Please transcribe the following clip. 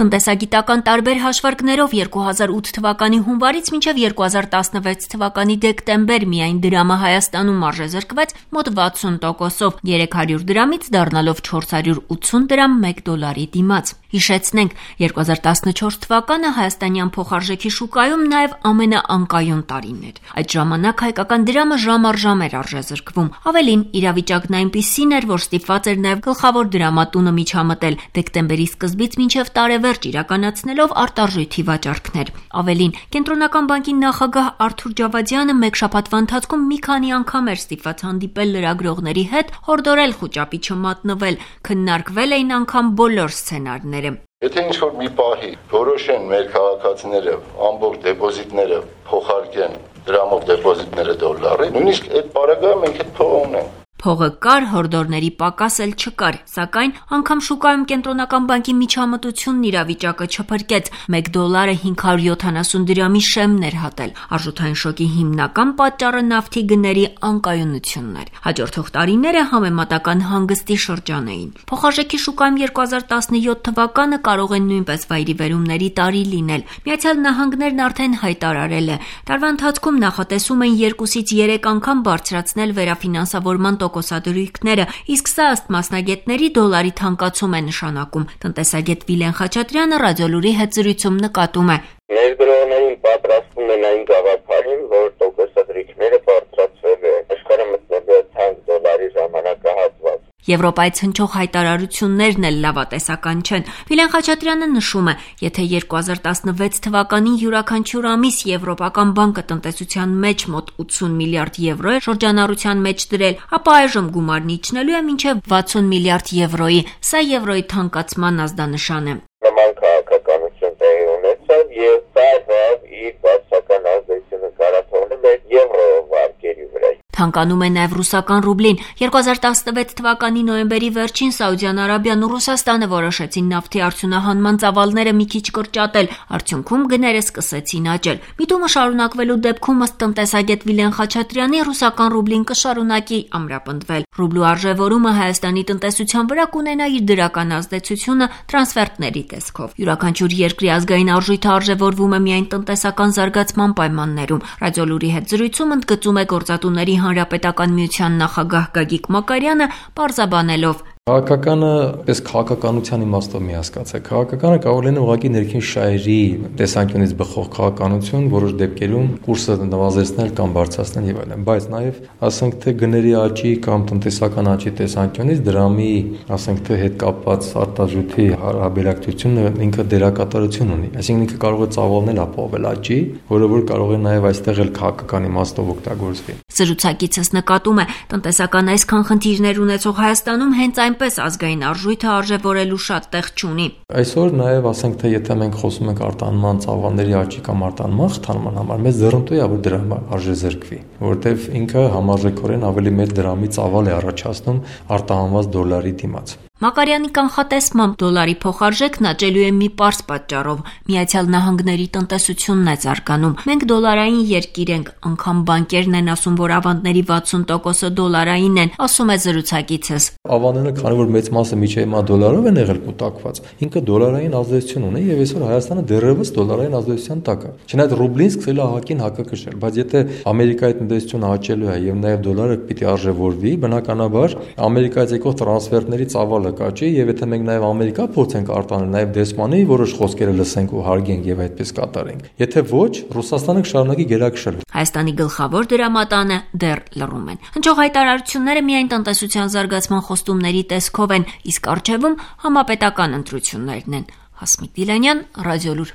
Տնտեսագիտական տարբեր հաշվարկներով 2008 թվականի հունվարից մինչև 2016 թվականի դեկտեմբեր միայն դրամը Հայաստանում արժեզրկվեց մոտ 60%-ով, 300 դրամից դառնալով 480 դրամ $1 դիմաց։ Հիշեցնենք, 2014 թվականը հայաստանյան փոխարժեքի շուկայում նաև ամենաանկայուն տարին էր։ Այդ ժամանակ հայկական դրամը ժամ առ ժամ էր արժեզրկվում։ Ավելին, իրավիճակն այնպիսին էր, որ ստիպված էր նաև գլխավոր դրամատունը միջամտել դեկտեմբերի սկզբից մինչև տարեվերջ իրականացնելով արտարժույթի վաճառքներ։ Ավելին, Կենտրոնական բանկի նախագահ Արթուր Ջավադյանը մեկ շաբաթվա ընթացքում մի քանի անգամ էր ստիպված հանդիպել լրագրողների հետ, հորդորել խուճապի չմատնվել, քննարկվել էին անգամ բոլոր սցենարները։ Եթե ինչ-որ մի պահի որոշեն մեր քաղաքացիները ամբողջ դեպոզիտները փոխարկեն դրամով դեպոզիտները դոլարի, նույնիսկ այդ պարագայում մենք այդ փողը ունենք։ Փողը կար, հորդորների պակաս էլ չկար, սակայն անգամ շուկայում Կենտրոնական բանկի միջամտությունն իրավիճակը չփրկեց, $1 570 դրամի շեմն էր հատել։ Արժութային շոկի հիմնական պատճառը նավթի գների անկայունությունն էր։ Հաջորդող տարիները համեմատական հանգստի շրջան էին։ Փոխարժեքի շուկայում 2017 թվականը կարող է նույնպես վայրիվերումների տարի լինել։ Միացյալ Նահանգներն արդեն հայտարարել է, տարվա ընթացքում նախատեսում են 2-ից 3 անգամ բարձրացնել վերաֆինանսավորման տոկոսադրույքները, իսկ սա ըստ մասնագետների դոլարի թանկացում է նշանակում։ Տնտեսագետ Վիլեն Խաչատրյանը Ռադիոլուրի հետ զրույցում նկատում է. Ներդրողներին պատրաստվում են այն գաղափարին, որ տոկոսադրույքները բարձրացվել են, աշխարհը մտնել է թանկ դոլարի ժամանակահատված։ Եվրոպայից հնչող հայտարարություններն էլ լավատեսական չեն։ Վիլեն Խաչատրյանը նշում է, եթե 2016 թվականին յուրաքանչյուր ամիս Եվրոպական բանկը տնտեսության մեջ մոտ 80 միլիարդ եվրո է շրջանառության մեջ դրել, ապա այժմ գումարն իջնելու է մինչև 60 միլիարդ եվրոյի։ Սա եվրոյի թանկացման ազդանշան է։ Նման քաղաքականություն տեղի ունեցավ եւ դա իր բացական ազդեցությունը կարողացել է եվրո վարկերի վրա։ Թանկանում է նաև ռուսական ռուբլին։ 2016 թվականի նոյեմբերի վերջին Սաուդյան Արաբիան ու Ռուսաստանը որոշեցին նավթի արդյունահանման ծավալները մի քիչ կրճատել, արդյունքում գները սկսեցին աճել։ Միտումը շարունակվելու դեպքում ըստ տնտեսագետ Վիլեն Խաչատրյանի ռուսական ռուբլին կշարունակի ամրապնդվել։ Ռուբլու արժևորումը Հայաստանի տնտեսության վրա կունենա իր դրական ազդեցությունը տրանսֆերտների տեսքով։ Յուրաքանչյուր երկրի ազգային արժույթը արժևորվում է միայն տնտեսական զարգացման պայմաններում։ Ռադիոլուրի հետ զրույցում ընդգծում է Գործատուների Հանրապետական միության նախագահ Գագիկ Մակարյանը, պարզաբանելով. Քաղաքականը պես քաղաքականության իմաստով մի հասկացեք։ Քաղաքականը կարող լինի ուղղակի ներքին շահերի տեսանկյունից բխող քաղաքականություն, որոշ դեպքերում կուրսը նվազեցնել կամ բարձրացնել եւ այլն, բայց նաեւ ասենք թե գների աճի կամ տնտեսական աճի տեսանկյունից դրամի, ասենք թե հետ կապված արտարժույթի հարաբերակցությունը ինքը դերակատարություն ունի։ Այսինքն ինքը կարող է ծավալնել ապահովել աճի, որը որ կարող է նաեւ այստեղ էլ քաղաքական իմաստով օգտագործվի։ Զրուցակիցս նկատում է, տնտեսական այսքան խնդիրներ ունեցող Հայաստանում հենց այնպես ազգային արժույթը արժևորելու շատ տեղ չունի։ Այսօր նաև ասենք թե եթե մենք խոսում ենք արտահանման ծավալների աճի կամ արտահանման խթանման համար, մեզ ձեռնտու է որ դրամը արժեզրկվի, որովհետև ինքը համարժեքորեն ավելի մեծ դրամի ծավալ է առաջացնում արտահանված դոլարի դիմաց։ Մակարյանի կանխատեսմամբ դոլարի փոխարժեքն աճելու է մի պարզ պատճառով՝ Միացյալ Նահանգների տնտեսությունն է զարգանում։ Մենք դոլարային երկիր ենք, անգամ բանկերն են ասում, որ ավանդների 60%-ը դոլարային են, ասում է զրուցակիցս։ Ավանդները, քանի որ մեծ մասը միջև հիմա դոլարով են եղել կուտակված, ինքը դոլարային ազդեցություն ունի եւ այսօր Հայաստանը դեռևս դոլարային ազդեցության տակ է։ Չնայած ռուբլին սկսել է ահագին հակակշռել, բայց եթե Ամերիկայի տնտեսությունը աճելու է եւ նաեւ դոլարը պիտի արժևորվի, բնականաբար Ամերիկայից եկող տրանսֆերտների ծավալը կաճի եւ եթե մենք նաեւ Ամերիկա փորձենք արտանել, նաեւ դեսպանի որոշ խոսքերը լսենք ու հարգենք եւ այդպես կատարենք։ Եթե ոչ, Ռուսաստանը կշարունակի գերակշռել։ Հայաստանի գլխավոր դրամատանը դեռ լռում են։ Հնչող հայտարարությունները միայն տնտեսության զարգացման խոստումների տեսքով են, իսկ առջևում համապետական ընտրություններն են։ Հասմիկ Դիլանյան, Ռադիոլուր։